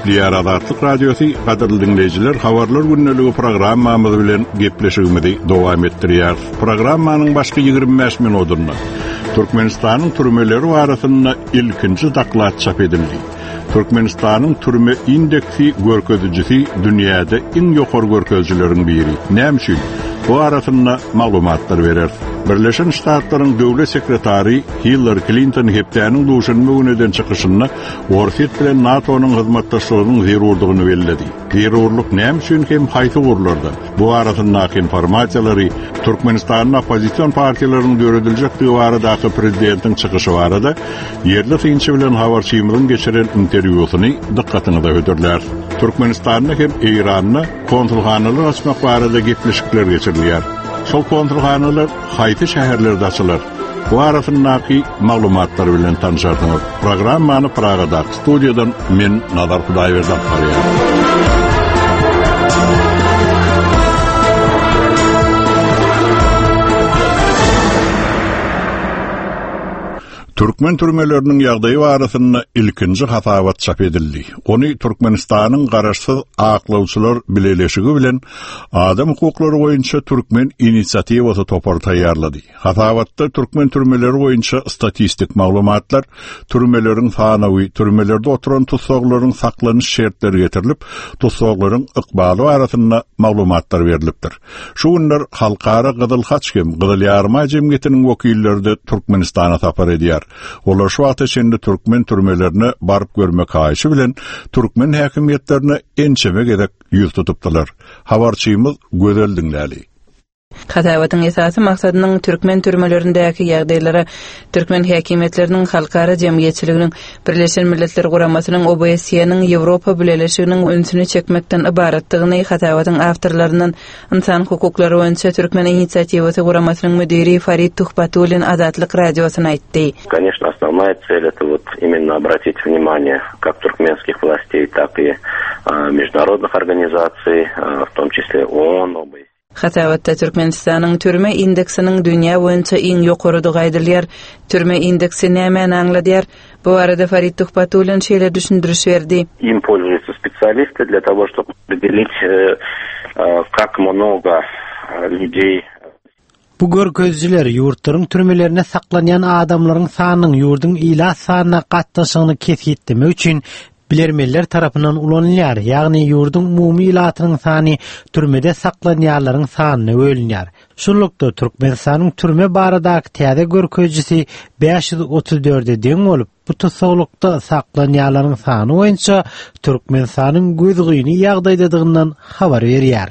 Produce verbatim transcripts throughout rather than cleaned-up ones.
Gepleýär Azatlyk Radiosy, gadyrly diňleýjiler, habarlar gündeligi programmamyz bilen gepleşigimizi dowam etdirýär. Programmanyň başky ýigrimi bäş minutynda Türkmenistanyň türmeleri barasynda ilkinji doklad çap edildi. Türkmenistanyň türme indeksi görkezijisi dünýäde iň ýokary görkezijileriň biri. Näme üçin? Bu arasynda maglumatlar berer. Birleşen Ştatlaryň döwlet sekretary Hillary Clinton hepdäniň duşenbe güni eden çykyşynda Orsýet bilen NATO-nyň hyzmatdaşlygynyň zerurdygyny belledi. Zerurlyk näme üçin hem haýsy ugurlarda? Bu arasyndaky informasiýalary Türkmenistanyň oppozision partiýalarynyň dörediljekdigi baradaky prezidentiň çykyşy barada ýerli synçy bilen habarçymyzyň geçiren interwýusyny dykgatyňyza hödürler. Türkmenistanda hem Eýranda konsulhanalar açmak barada gepleşikler geçirilýär. Şol konsulhanalar haýsy şäherlerde açylar? Bu arasyndaky maglumatlar bilen tanışarsyňyz. Programmany Pragadaky studiýadan men Nazar Hudaýberdi alyp barýar. Türkmen türmeleriniň ýagdaýy barasynda ilkinji hasabat çap edildi. Ony Türkmenistanyň Garaşsyz Aklawçylar Bileleşigi bilen Adam hukuklary boýunça Türkmen inisiatiwasy topary taýýarlady. Hasabatda türkmen türmeleri boýunça statistik maglumatlar, türmeleriň sanawy, türmelerde oturan tussaglaryň saklanyş şertleri getirilip, tussaglaryň ykbaly barasynda maglumatlar berilipdir. Şu günler Halkara Gyzyl Haç hem Gyzyl Ýarymaý jemgyýetiniň wekilleri de Türkmenistana sapar edýär. Olar şu wagta çenli türkmen türmelerine baryp görmek haýyşy bilen türkmen häkimiýetlerine ençeme gezek ýüz tutupdylar. Habarçymyz Gözel diňläli. Hasabatyň esasy maksadynyň türkmen türmelerindäki ýagdaýlara türkmen häkimiýetleriniň halkara jemgyýetçiliginiň Birleşen Milletler Guramasynyň O B S E-niň Ýewropa Bileleşiginiň ünsüni çekmekden ybaratdygyny hasabatyň awtorlaryndan Insan hukuklary boýunça Türkmen inisiatiwasy guramasynyň müdiri Farid Tuhbatullin Azatlyk radiosyna aýtdy. Конечно, основная цель это вот именно обратить внимание как туркменских властей, так и, а, международных организаций, а, в том числе ООН, О Б С Е. Hasabatda Türkmenistanyň türme indeksiniň dünýä boýunça iň ýokarydygy aýdylýar. Türme indeksi nämäni aňladýar? Bu arada Farid Tuhbatullin şeýle düşündiriş berdi. Им пользуются специалисты для того, чтобы определить, э, э, как много, э, людей. Bu görkeziciler ýurtlaryň türmelerine saklanýan adamlaryň sanynyň ýurduň ilat sanyna gatnaşygyny kesgitlemek üçin bilermenler tarapyndan ulanylýar. Ýagny ýurduň umumy ilatynyň sany türmede saklanýanlaryň sanyna bölünýär. Şunlukda Türkmenistanyň türme baradaky täze görkezicisi bäş ýüz otuz dörde deň bolup, bu tussagylykda saklanýanlaryň sany boýunça Türkmenistanyň gözgyny ýagdaýdadygyndan habar berýär.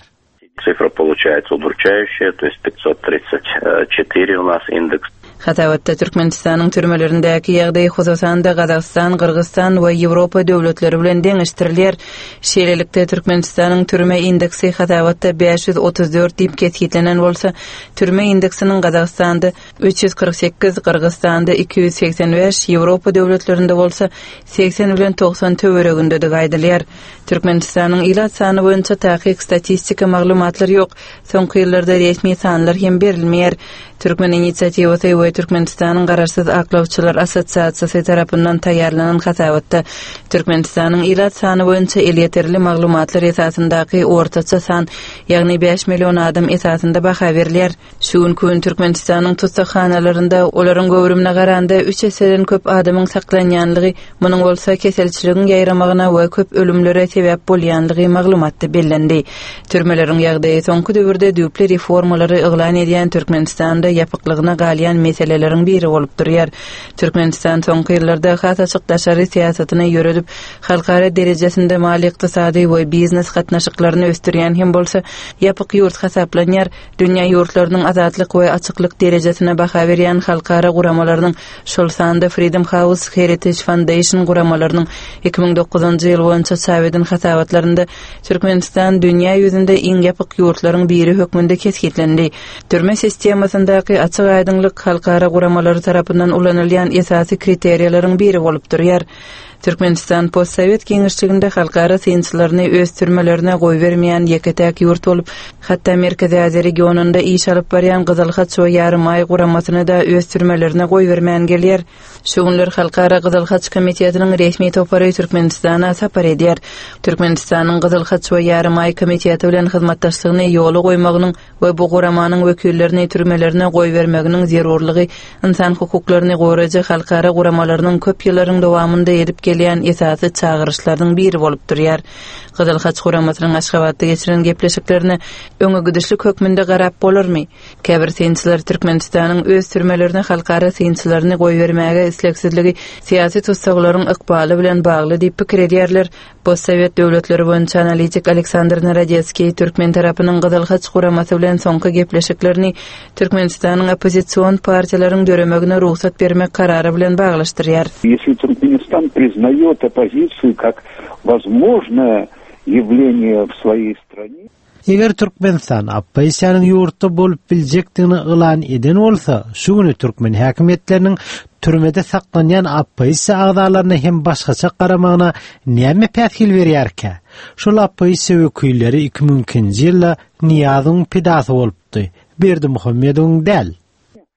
Цифра получается удручающая, то есть пятьсот тридцать четыре у нас индекс. Hasabatda Türkmenistanyň türmelerindäki ýagdaý hususan-da Gazagystan, Gyrgyzstan we Ýewropa döwletleri bilen deňeşdirilýär. Şeýlelikde Türkmenistanyň türme indeksi hasabatda bäş ýüz otuz dört diýip kesgitlenen bolsa, türme indeksiniň Gazagystanda üç ýüz kyrk sekiz, Gyrgyzstanda iki ýüz segsen bäş, Ýewropa döwletlerinde bolsa segsen bilen togsan töweregindedigi aýdylýar. Türkmenistanyň ilat sany boýunça takyk statistika maglumatlar ýok. Soňky ýyllarda resmi sanlar hem berilmeýär. Türkmen inisiatiwasy we Türkmenistanyň Garaşsyz Aklawçylar Assosiasiýasy tarapyndan taýýarlanan hasabatda Türkmenistanyň ilat sany boýunça elýeterli maglumatlar esasyndaky ortaça san, ýagny bäş million adam esasynda baha berilýär. Şu günki gün Türkmenistanyň tussaghanalarynda olaryň göwrümine garanda üç esseden köp adamyň saklanýanlygy, munuň bolsa keselçiligiň ýaýramagyna we köp ölümlere sebäp bolýanlygy maglumatda bellendi. Türmeleriň ýagdaýy soňky döwürde düýpli reformalary yglan edýän Türkmenistanda ýapyklygyna galýan meseleleriň biri bolup durýar. Türkmenistan soňky ýyllarda has açyk daşary syýasatyny ýöredip, halkara derejesinde maliýe-ykdysady we biznes gatnaşyklaryny ösdürýän hem bolsa ýapyk ýurt hasaplanýar. Dünýä ýurtlarynyň azatlyk we açyklyk derejesine baha berýän halkara guramalarynyň, şol sanda Freedom House, Heritage Foundation guramalarynyň iki müň dokuzynjy ýyl boýunça çap eden hasabatlarynda Türkmenistan dünýä ýüzünde iň ýapyk ýurtlaryň biri hökmünde kesgitlendi. Türme sistemasyndaky açyk aýdyňlyk halkara guramalary tarapyndan ulanylýan esasy kriteriýalaryň biri bolup durýar. Türkmenistan postsowet giňişliginde halkara synçylaryny öz türmelerine goýbermeýän ýeke-täk ýurt bolup, hatda Merkezi Aziýa regionynda iş alyp barýan Gyzyl Haç we Ýarymaý guramasyny-da öz türmelerine goýbermän gelýär. Şu günler Halkara Gyzyl Haç komitetiniň resmi topary Türkmenistana sapar edýär. Türkmenistanyň Gyzyl Haç we Ýarymaý komiteti bilen hyzmatdaşlygyny ýola goýmagynyň we bu guramanyň wekillerini türmelerine goýbermeginiň zerurlygy ynsan hukuklaryny goraýjy halkara guramalarynyň köp ýyllaryň dowamynda edip gelýän esasy çagyryşlarynyň biri bolup durýar. Gyzyl Haç guramasynyň Aşgabatda geçiren gepleşiklerine öňe gidişlik hökmünde garap bolarmy? Käbir synçylar Türkmenistanyň öz türmelerine halkara synçylaryny goýbermäge islegsizligi syýasy tussaglaryň ykbaly bilen bagly diýip pikir edýärler. Postsowet döwletleri boýunça analitik Aleksandr Narodetskiý türkmen tarapynyň Gyzyl Haç guramasy bilen soňky gepleşiklerini Türkmenistanyň oppozision partiýalaryň döremegine rugsat bermek karary bilen baglaşdyrýar. Если Туркменистан признает оппозицию как возможное явление в своей стране, Eger Türkmenistan oppozisiýanyň ýurtda bolup biljekdigini yglan eden bolsa, şu güni türkmen häkimiýetleriniň türmede saklanýan oppozisiýa agzalaryna hem başgaça garamagyna näme päsgel berýärkä? Şol oppozisiýa wekilleri iki müň ikinji ýylda Niýazowyň pidasy bolupdy. Berdimuhamedowyň däl.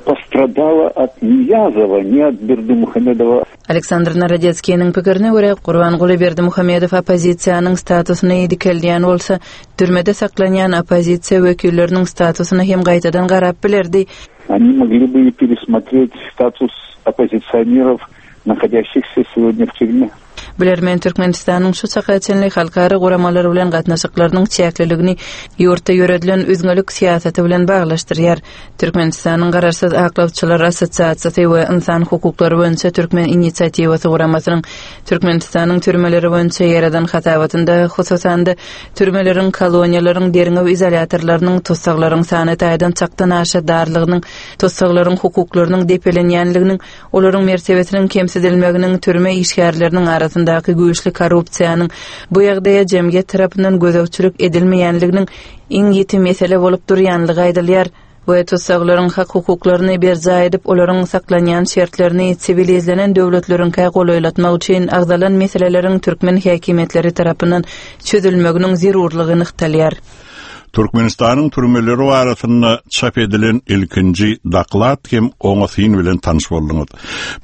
Пострадала от Ниязова, не от Бердымухамедова. Aleksandr Narodetskiniň pikirine görä, Gurbanguly Berdimuhamedow oppozisiýanyň statusyny dikeldýän bolsa, türmede saklanýan oppozisiýa wekilleriniň statusyna hem gaýtadan garap bilerdi. Они могли бы и пересмотреть статус оппозиционеров, находящихся сегодня в тюрьме. Bilermen Türkmenistanyň şu çaka çenli halkara guramalary bilen gatnaşyklarynyň çäkliligini ýurtda ýöredilen üzňelik syýasaty bilen baglaşdyrýar. Türkmenistanyň Garaşsyz Aklawçylar Assosiasiýasy we Ynsan hukuklary boýunça Türkmen inisiatiwasy guramasynyň Türkmenistanyň türmeleri boýunça ýaradan hasabatynda hususan-da türmeleriň, koloniýalaryň, derňew izolýatorlarynyň, tussaglaryň sany taýdan çakdan aşa darlygynyň, tussaglaryň hukuklarynyň depelenýänliginiň, olaryň mertebesiniň kemsidilmeginiň, türme işgärleriniň arasyndaky güýçli korrupsiýanyň bu ýagdaýa jemgyýet tarapyndan gözegçilik edilmeýänliginiň iň ýiti mesele bolup durýanlygy aýdylýar we tussaglaryň hak hukuklaryny berjaý edip, olaryň saklanýan şertlerini siwilizlenen döwletleriňkä golaýlatmak üçin agzalan meseleleriň türkmen häkimiýetleri tarapyndan çözülmeginiň zerurlygy nygtalýar. Türkmenistanyň türmeleri barasynda çap edilen ilkinji doklad hem oňa syn bilen tanyş bolduňyz.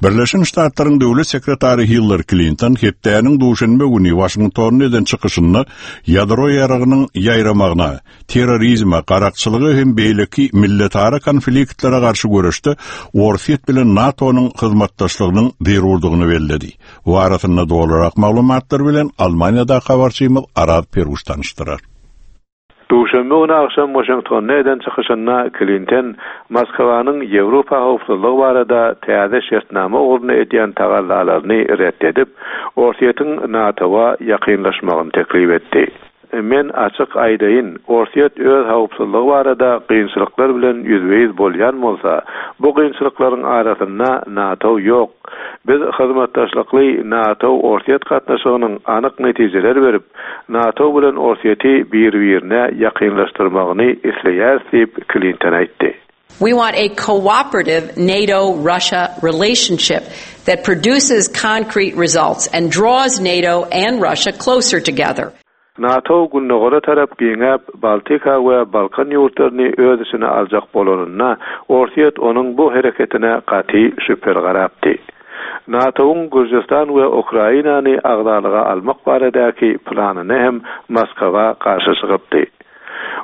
Birleşen Ştatlaryň döwlet sekretary Hillary Klinton hepdäniň duşenbe güni Waşingtonda eden çykyşynda ýadro ýaragynyň ýaýramagyna, terrorizme, garakçylyga hem beýleki milletara konfliktlere garşy göreşde Orsýet bilen NATO-nyň hyzmatdaşlygynyň zerurdygyny belledi. Bu arasynda dolurak maglumatlar bilen Almaniýada habarçymyz Araz Peruş tanyşdyrar. Duşenbe güni agşam Waşingtonda eden çykyşynda Klinton Moskwanyň Ýewropa howpsuzlygy barada täze şertnama ugrunda edýän tagallalaryny ret edip, Orsýetiň NATO-wa ýakynlaşmagyny teklip etdi. Men açyk aýdaýyn, Orsýet öz howpsuzlygy barada kynçylyklar bilen ýüzbe-ýüz bolýan bolsa, bu kynçylyklaryň arasynda NATO ýok. Biz hyzmatdaşlykly NATO-Orsýet gatnaşygynyň anyk netijeler berip, NATO bilen Orsýeti bir-birine ýakynlaşdyrmagyny isleýäris diýip Klinton aýtdy. We want a cooperative NATO-Russia relationship that produces concrete results and draws NATO and Russia closer together. NATO gündogara tarap giňäp, Baltika we Balkan ýurtlaryny öz içine aljak bolanynda, Orsýet onuň bu hereketine gaty şübheli garapdy. NATO-nyň Gürjüstan we Ukrainany agzalyga almak baradaky planyny hem Moskwa garşy çykypdy.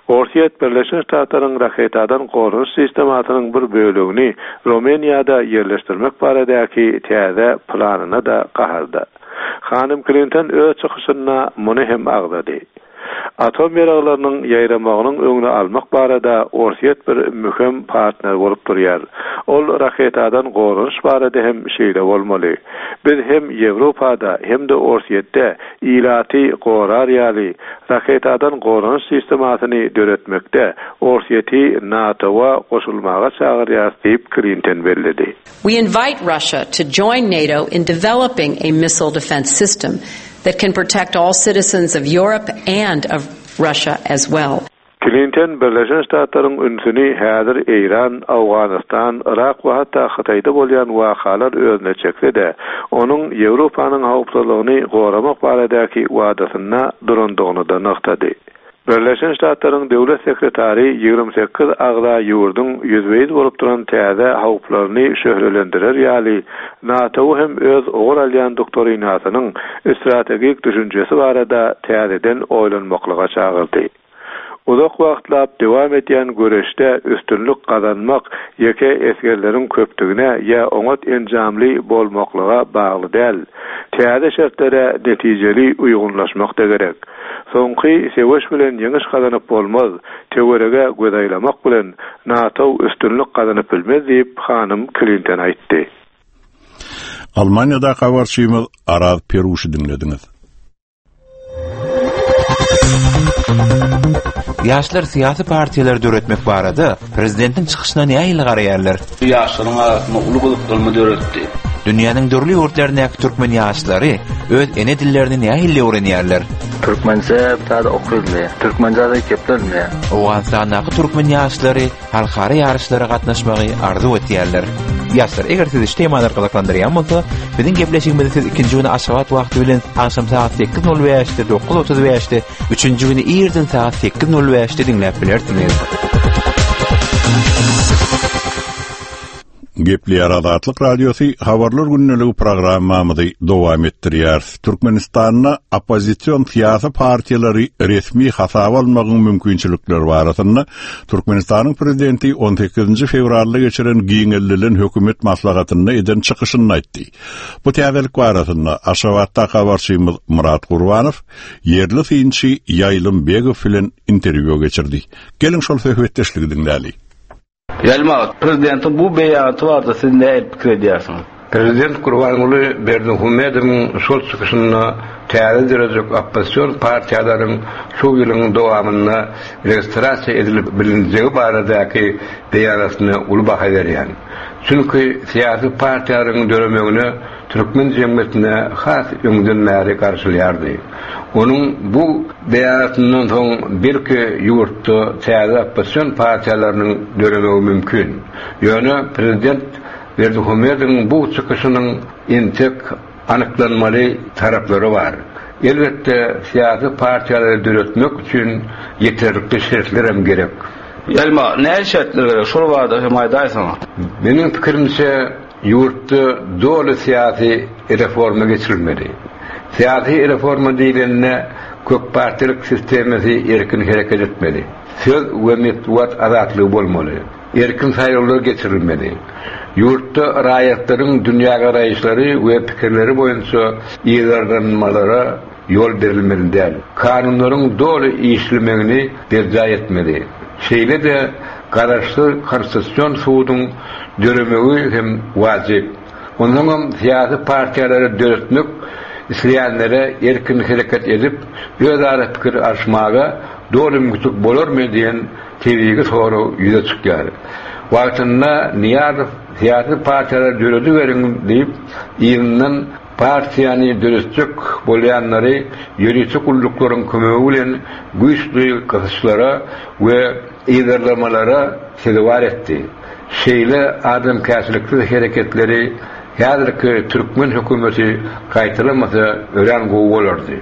Orsýet Birleşen Ştatlaryň raketadan goranyş sistemasynyň bir bölegini Rumyniýada ýerleşdirmek baradaky täze planyna da gaharda. Hanym Klinton öz çykyşynda muny hem agzady. Atom ýaraglarynyň ýaýramagynyň öňüni almak barada Orsýet bir möhüm partner bolup durýar. Ol raketadan goranyş barada hem şeýle bolmaly. Biz hem Ýewropada hem-de Orsýetde ilaty gorar ýaly raketadan goranyş sistemasyny döretmekde Orsýeti NATO-wa goşulmaga çagyrýar diýip Klinton belledi. We invite Russia to join NATO in developing a missile defense system that can protect all citizens of Europe and of Russia as well. Klinton Birleşen Ştatlaryň ünsüni häzir Eýran, Awganystan, Irak we hatda Hytaýda bolýan wakalar özüne çekse-de, onuň Ýewropanyň howpsuzlygyny goramak baradaky wadasynda durandygyny da nygtady. Birleşen Ştatlaryň döwlet sekretary ýigrimi sekiz agza ýurduň ýüzbe-ýüz bolup duran täze howplaryny şöhlelendirer ýaly, NATO hem öz ugur alýan doktrinasynyň strategik düşünjesi barada täzeden oýlanmaklyga çagyrdy. Uzak wagtlap dowam edýän göreşde üstünlik gazanmak ýeke esgerleriň köpdügine ýa oňat enjamly bolmaklyga bagly däl. Täze şertlere netijeli uýgunlaşmak da gerek. Soňky söweş bilen ýeňiş gazanyp bolmaz, töwerege göz aýlamak bilen NATO üstünlik gazanyp bilmez diýip hanym Klinton aýtdy. Almanya'da habarçymyz Araz Peruşy diňlediňiz. Ýaşlar syýasy partiýalary döretmek barada prezidentiň çykyşyna nähili garaýarlar? Ýaşlaryň arasynda uly gyzyklanma döretdi. Dünýäniň dürli ýurtlaryndaky türkmen ýaşlary öz ene dillerini nähili öwrenýärler? Türkmençe täze okuyulmaýar. Türkmençe de geplenmeýär. Owganystandaky türkmen ýaşlary halkara ýaryşlara gatnaşmagy arzuw etýärler. Ýaşlar, eger sizi şu temalar gyzyklandyrýan bolsa, biziň gepleşigimizi siz ikinji güni Aşgabat wagty bilen agşam saat sekiz nol bäşde, dokuz otuz bäşde, üçünji güni irden saat sekiz nol bäşde diňläp bilersiňiz. Gepleýär Azatlyk Radiosy habarlar gündeligi programmamyzy dowam etdirýär. Türkmenistanda oppozision syýasy partiýalary resmi hasaba almagyň mümkinçilikleri barasynda Türkmenistanyň prezidenti on sekizinji fewralda geçiren giňeldilen hökümet maslahatynda eden çykyşyny aýtdy. Bu täzelik barasynda Aşgabatda habarçymyz Murat Gurbanow ýerli synçy Ýaýlym Begow bilen interwýu geçirdi. Geliň şol söhbetdeşligi diňläli. Ýaýlym aga, prezidentiň bu beýanaty barada siz nähili pikir edýärsiňiz? Prezident Gurbanguly Berdimuhamedowyň şol çykyşynda täze derejek oppozision partiýalaryň şu ýylyň dowamynda registrasiýa edilip bilinjegi baradaky beýanatyna uly baha berýän. Çünki syýasy partiýalaryň döremegine türkmen jemgyýetine has öňden bäri garşylýardy. Onuň bu beýanatyndan soň belki ýurtda täze oppozision partiýalarynyň döremegi mümkin. Ýöne prezident Berdimuhamedowyň bu çykyşynyň entek anyklanmaly taraplary bar. Elbetde syýasy partiýalary döretmek üçin ýeterlikli şertler hem gerek. Ýaýlym aga, nähili şertler gerek? Şol barada hem aýdaýsaňyz. Meniň pikirimçe ýurtda doly syýasy reforma geçirilmeli. Syýasy reforma diýilende köp partiýalyk sistemasy erkin hereket etmeli. Söz we metbugat azatlygy bolmaly. Erkin saýlawlar geçirilmeli. Ýurtda raýatlaryň dünýä garaýyşlary we pikirleri boýunça yzarlanmalara ýol berilmeli däl. Kanunlaryň doly işlemegini berjaý etmeli. Şeýle-de garaşsyz konstitusion suduň döremegi hem wajyp. Ondan hem syýasy partiýalary döretmek isleýänlere erkin hereket edip, özara pikir alyşmaga doly mümkinçilik bolarmy diýen tebigy sorag ýüze çykýar. Wagtynda Nyýazow syýasy partiýalary dörediberiň diýip, yzyndan partiýany döretjek bolýanlary ýörite gulluklaryň kömegi bilen güýçli gysyşlara we yzarlamalara sezewar etdi. Şeýle adamkärçiliksiz hereketleri häzirki türkmen hökümeti gaýtalamasa örän gowy bolardy.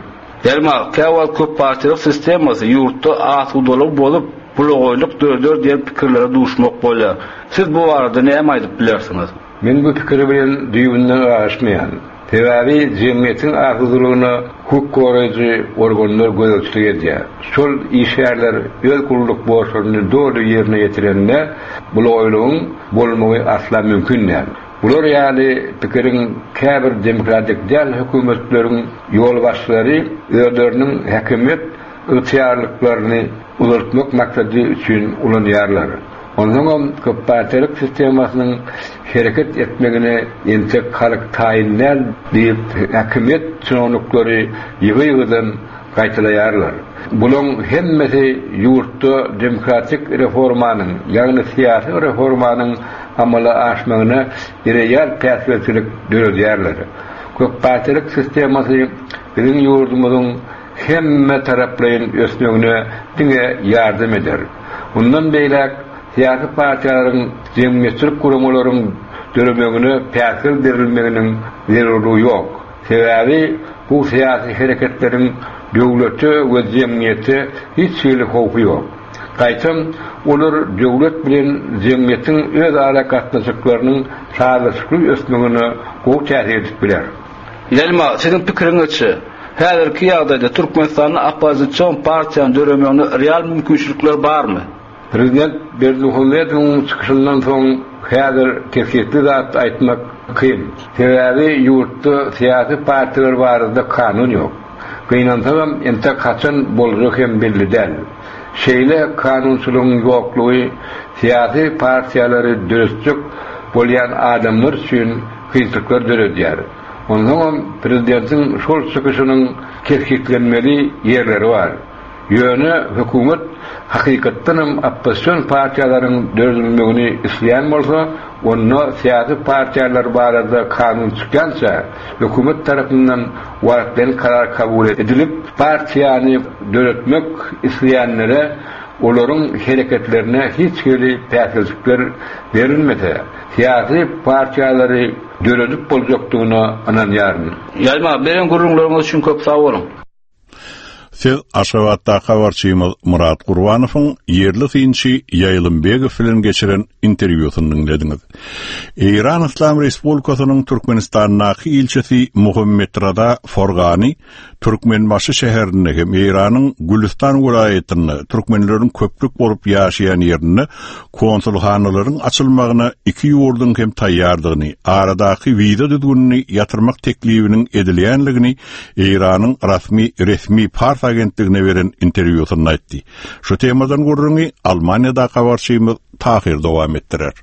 Ýaýlym aga, käwagt köp partiýalyk sistemasy ýurtda asudalygy bozup, bulogoýluk döreder diýen pikirlere duşmak bolýar. Siz bu barada näme aýdyp bilersiňiz? Men bu pikiri bilen düýbünden ylalaşmaýan. Sebäbi jemgyýetiň asudalygyna hukuk goraýjy organlar gözegçilik edýär. Şol işgärler öz gulluk borçlaryny doly ýerine ýetirende bulogoýlugyň bolmagy asla mümkin däl. Bular ýaly pikiriň käbir demokratik däl hökümetleriň ýolbaşçylary özleriniň häkimiýet ygtyýarlyklaryny uzaltmak maksady üçin ulanýarlar. Ondan hem köp partiýalyk sistemasynyň hereket etmegine entek halk taýyn däl diýip häkimiýet çinowniklary ýygy-ýygydan gaýtalaýarlar. Bulaň hemmesi ýurtda demokratik reformanyň, ýagny syýasy reformanyň amala aşmagyna real päsgelçilik döredýärler. Köp partiýalyk sistemasy biziň ýurdumyzyň hemme taraplaýyn ösmegine diňe ýardam eder. Mundan beýläk syýasy partiýalaryň jemgyýetçilik guramalaryň döremegine päsgel berilmeginiň zerurlygy ýok. Sebäbi bu syýasy hereketleriň döwlete we jemgyýete hiç hili howpy ýok. Gaýtam olar döwlet bilen jemgyýetiň öz ara gatnaşyklarynyň sazlaşykly ösmegine gowy täsir edip biler. Ýelma, siziň pikiriňizçe, häzirki ýagdaýda Türkmenistanda oppozision partiýanyň döremegine real mümkinçilikler barmy? Prezident Berdimuhamedowyň çykyşyndan soň häzir kesgitli zat aýtmak kyn. Sebäbi ýurtda syýasy partiýalar barada kanun ýok. Gynansagam entek haçan boljak hem belli däl. Şeýle kanunçylygyň ýoklugy syýasy partiýalary döretjek bolýan adamlar üçin kynçylyklar döredýär. Onsoňam prezidentiň şol çykyşynyň kesgitlenmeli ýerleri bar. Ýöne hökümet hakykatdanam oppozision partiýalaryň döredilmegini isleýän bolsa, onda syýasy partiýalar barada kanun çykýança hökümet tarapyndan wagtlaýyn karar kabul edilip, partiýany döretmek isleýänlere olaryň hereketlerine hiç hili päsgelçilikler berilmese, syýasy partiýalary döredip boljakdygyna ynanýaryn. Ýelma, beren gürrüňleriňiz üçin köp sag boluň. Siz Aşgabatdaky habarçymyz Murat Gurbanowyň ýerli synçy Ýaýlymbegow bilen geçiren interwýusyny diňlediňiz. Eýran Yslam Respublikasynyň Türkmenistandaky ilçisi Muhammet Rada Forgani Türkmenbaşy şäherinde hem Eýranyň Gülüstan welaýatynda türkmenleriň köplük bolup ýaşaýan ýerinde konsulhanalaryň açylmagyna iki ýurduň hem taýýardygyny, aradaky wiza düzgünini ýatyrmak teklibiniň edilýänligini Eýranyň rasmi resmi Pars agentligine beren interwýusynda aýtdy. Şu temadan gürrüňi Almaniýada habarçymyz Tahir dowam etdirer.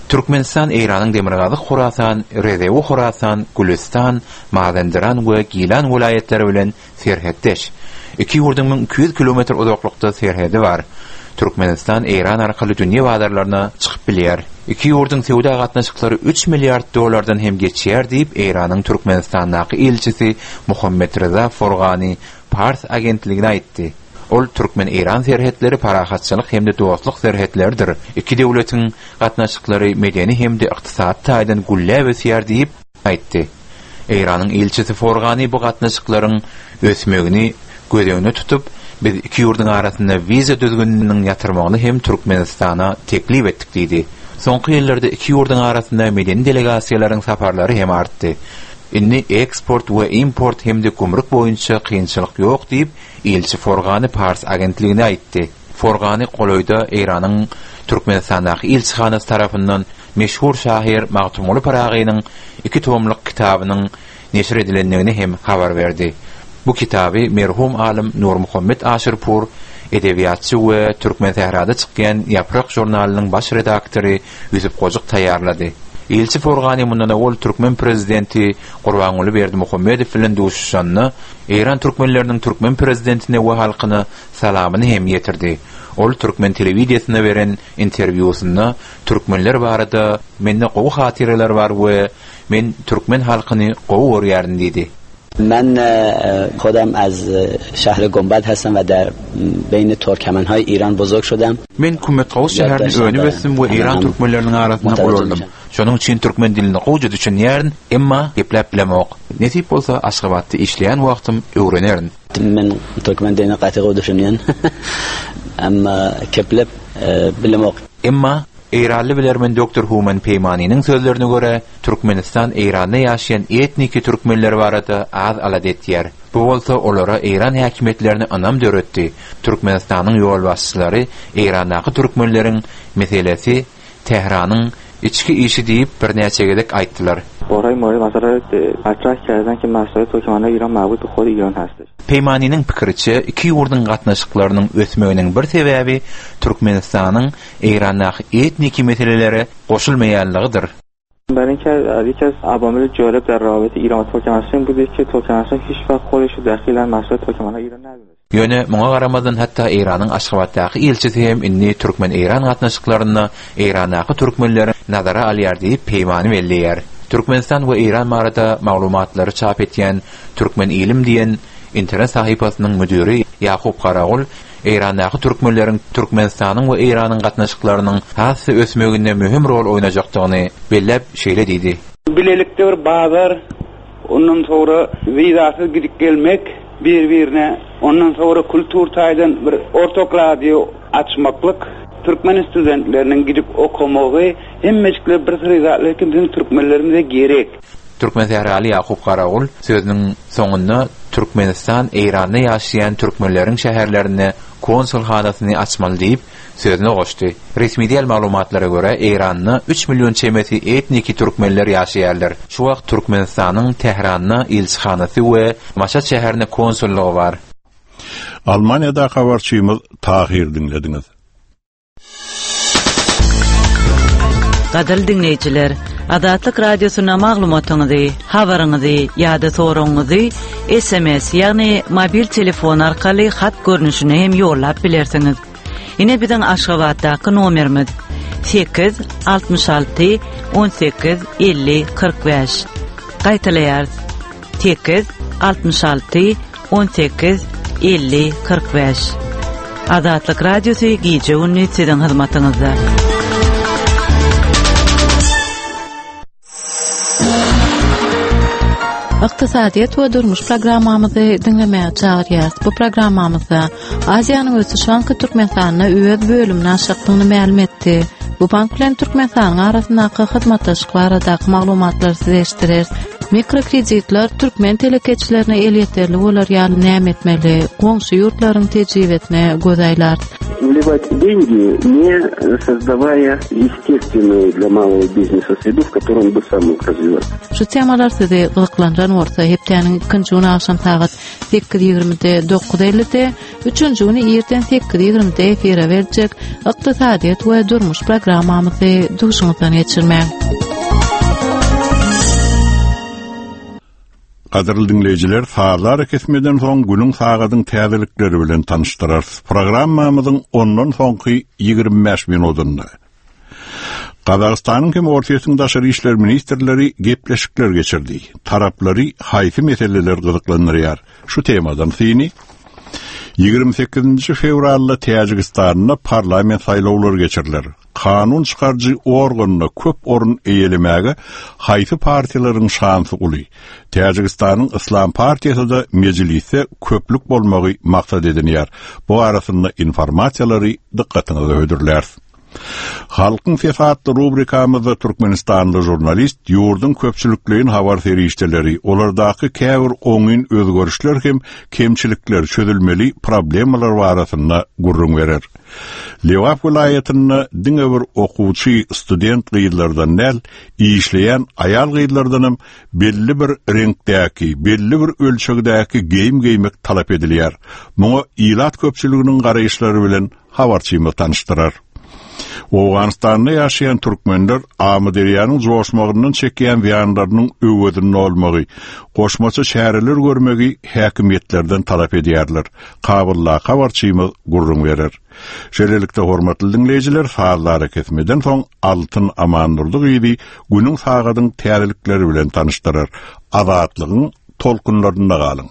Türkmenistan Eýranyň Demirgazyk Horasan, Rezewi Horasan, Gülüstan, Mazenderan we Gilan welaýatlary bilen serhetdeş. Iki ýurduň müň iki ýüz kilometr uzaklykda serhedi bar. Türkmenistan Eýran arkaly dünýä bazarlaryna çykyp bilýär. Iki ýurduň söwda gatnaşyklary üç milliard dollardan hem geçýär diýip Eýranyň Türkmenistandaky ilçisi Muhammet Reza Forgani Pars agentligine aýtdy. Ol Türkmen-Eýran serhetleri parahatçylyk hem-de dostluk serhetleridir. Iki döwletiň gatnaşyklary medeni hem-de ykdysady taýdan gülläp ösýär diýip aýtdy. Eýranyň ilçisi Forgani bu gatnaşyklaryň ösmegini göz öňüne tutup, biz iki ýurduň arasynda wiza düzgüniniň ýatyrmagyny hem Türkmenistana teklip etdik diýdi. Soňky ýyllarda iki ýurduň arasynda medeni delegasiýalaryň saparlary hem artdy. Indi eksport we import hem-de gümrük boýunça kynçylyk ýok diýip, ilçi Forgani Pars agentligine aýtdy. Forgani golaýda Eýranyň Türkmenistandaky ilçihanasy tarapyndan meşhur şahyr Magtymguly Pyragynyň iki tomluk kitabynyň neşir edilendigini hem habar berdi. Bu kitaby merhum alym Nurmuhammet Aşyrpur, edebiýatçy we Türkmen sährada çykýan Ýaprak žurnalynyň baş redaktory Ýusup Gojuk taýýarlady. Ilçi Forgani mundan owal Türkmen prezidenti Gurbanguly Berdimuhamedow bilen duşuşanda Eýran türkmenleriniň türkmen prezidentine we halkyna salamyny hem ýetirdi. Ol türkmen telewiziýasyna beren interwýusynda türkmenler barada mende gowy hatyralar bar we men türkmen halkyny gowy görýärin diýdi. Men خودم از شهر گنبد هستم و در بین ترکمن‌های ایران بزرگ شدم. Men Kümmetgawus şäherinde önüp ösdüm we Eýran türkmenleriniň arasynda ulaldım. Şonuň üçin türkmen dilini gowja düşünýärin, emma gepläp bilemok. Nesip bolsa Aşgabatda işleýän wagtym öwrenerin. Men türkmen dilini gaty gowy düşünýän. Emma gepläp bilemok. Emma Eýranly bilermen doktor Human Peýmaniniň sözlerine görä, Türkmenistan Eýranda ýaşaýan etniki türkmenler barada az alada etýär. Bu bolsa olara Eýran häkimiýetlerine ynam döretdi. Türkmenistanyň ýolbaşçylary Eýrandaky türkmenleriň meselesi Tähranyň içki işi diýip birnäçe gezek aýtdylar. Barhay مورد مسئله مطرح کردن که مسائل ترکمن‌های ایران مربوط به خود ایران هستش. Peýmaniniň pikiriçe, iki ýurduň gatnaşyklarynyň ösmeginiň bir sebäbi Türkmenistanyň Eýrandaky etniki meselelere goşulmaýanlygydyr. برای اینکه یکی از عوامل جالب در روابط ایران و ترکمنستان بوده که ترکمنستان هیچ وقت خودش رو دخیل در مسائل ترکمن‌های ایران ندونست. Ýöne muňa garamazdan hatda Eýranyň Aşgabatdaky ilçisi hem indi Türkmen-Eýran gatnaşyklarynda Eýrandaky türkmenleri nazara alýar diýip peýmany belleýär. Türkmenistan we Eýran barada maglumatlary çap etýän Türkmen ilim diýen internet sahypasynyň müdiri Ýakup Garagul Eýrandaky türkmenleriň Türkmenistanyň we Eýranyň gatnaşyklarynyň has ösmeginde möhüm rol oýnajakdygyny belläp şeýle diýdi. Bilelikde bir bazar, ondan sonra wizasyz gidip gelmek bir-birine, ondan sonra kultur taýdan bir ortak radio açmaklyk, türkmen studentleriniň gidip okamagy, hemmejikler bir syry zatlar ki bizim türkmenlerimize gerek. Türkmen Sähraly Ýakup Garagul sözüniň soňunda Türkmenistan Eýranda ýaşaýan türkmenleriň şäherlerinde konsulhanasyny açmaly diýip sözüne goşdy. Resmi däl maglumatlara görä Eýranda üç million çemesi etniki türkmenler ýaşaýarlar. Şu wagt Türkmenistanyň Tähranda ilçihanasy we Maşat şäherinde konsullygy bar. Almaniýada habarçymyz Tahir diňlediňiz. Gadyrly diňleýjiler, Azatlyk Radiosyna maglumatyňyzy, habaryňyzy ýa-da soragyňyzy S M S, ýagny mobil telefon arkaly hat görnüşine hem ýollap bilersiňiz. Ine biziň Aşgabatdaky nomerimiz sekiz altmyş alty on sekiz elli kyrk bäş. Gaýtalaýarys. Sekiz altmyş alty on sekiz elli kyrk bäş. Azatlyk Radiosy gije gündüz siziň hyzmatyňyzda. Ykdysadyýet we durmuş programmamyzy diňlemäge çagyrýarys. Bu programmamyzda Aziýanyň Ösüş Banky Türkmenistanda öz bölümini açjakdygyny mälim etdi. Bu bank bilen Türkmenistanyň arasyndaky hyzmatdaşlyk baradaky maglumatlary size eşitdireris. Mikrokreditler türkmen telekeçilerine elýeterli bolar ýaly näme etmeli? Goňşy ýurtlaryň tejribesine göz aýlarys. Вливать деньги, не создавая естественную для малого бизнеса среду, в которой он бы сам мог развиваться. Şu temalar sizi gyzyklandyran bolsa, hepdäniň ikinji güni agşam sagat sekiz ýigrimide, dokuz ellide, üçünji güni irden sekiz ýigrimide efire berjek Ykdysadyýet we durmuş programmamyzy duşuňyzdan geçirmäň. Gadyrly diňleýjiler, sazlar kesmeden soň günüň sagadyň täzelikleri bilen tanyşdyrarys. Programmamyzyň ondan soňky ýigrimi bäş minutynda Gazagystanyň hem Orsýetiň daşary işler ministrleri gepleşikler geçirdi. Taraplary haýsy meseleler gyzyklandyrýar? Şu temadan syny ýigrimi sekizinji fewralda Täjigistanda parlament saýlawlary geçiriler. Kanun çykaryjy organyna köp orun eýelemäge haýsy partiýalaryň şansy uly? Täjigistanyň Islam partiýasy da mejlisde köplük bolmagy maksat edinýär. Bu arasynda informasiýalary dykgatyňyza hödürläris. Halkyň sesi atly rubrikamyzda Türkmenistanly žurnalist ýurduň köpçülikleýin habar serişdeleri, olardaky käbir oňyn özgerişler hem kemçilikler, çözülmeli problemalar barasynda gürrüň berer. Lebap welaýatynda diňe bir okuwçy student gyzlardan däl, işleýän aýal gyzlardan hem belli bir reňkdäki, belli bir ölçegdäki geýim geýmek talap edilýär. Muňa ilat köpçüliginiň garaýyşlary bilen habarçymyz tanyşdyrar. Owganystanda ýaşaýan türkmenler Amyderýanyň joşmagyndan çekýän zyýanlarynyň öwezini olmagy, goşmaça çäreler görmegi häkimiýetlerden talap edýärler. Kabulda habarçymyz gürrüň berer. Şeýlelikde hormatly diňleýjiler, sazlary kesmeden soň Altyn Amandurdy gyzy günüň sagadyň täzelikleri bilen tanyşdyrar. Azatlygyň tolkunlarynda galyň.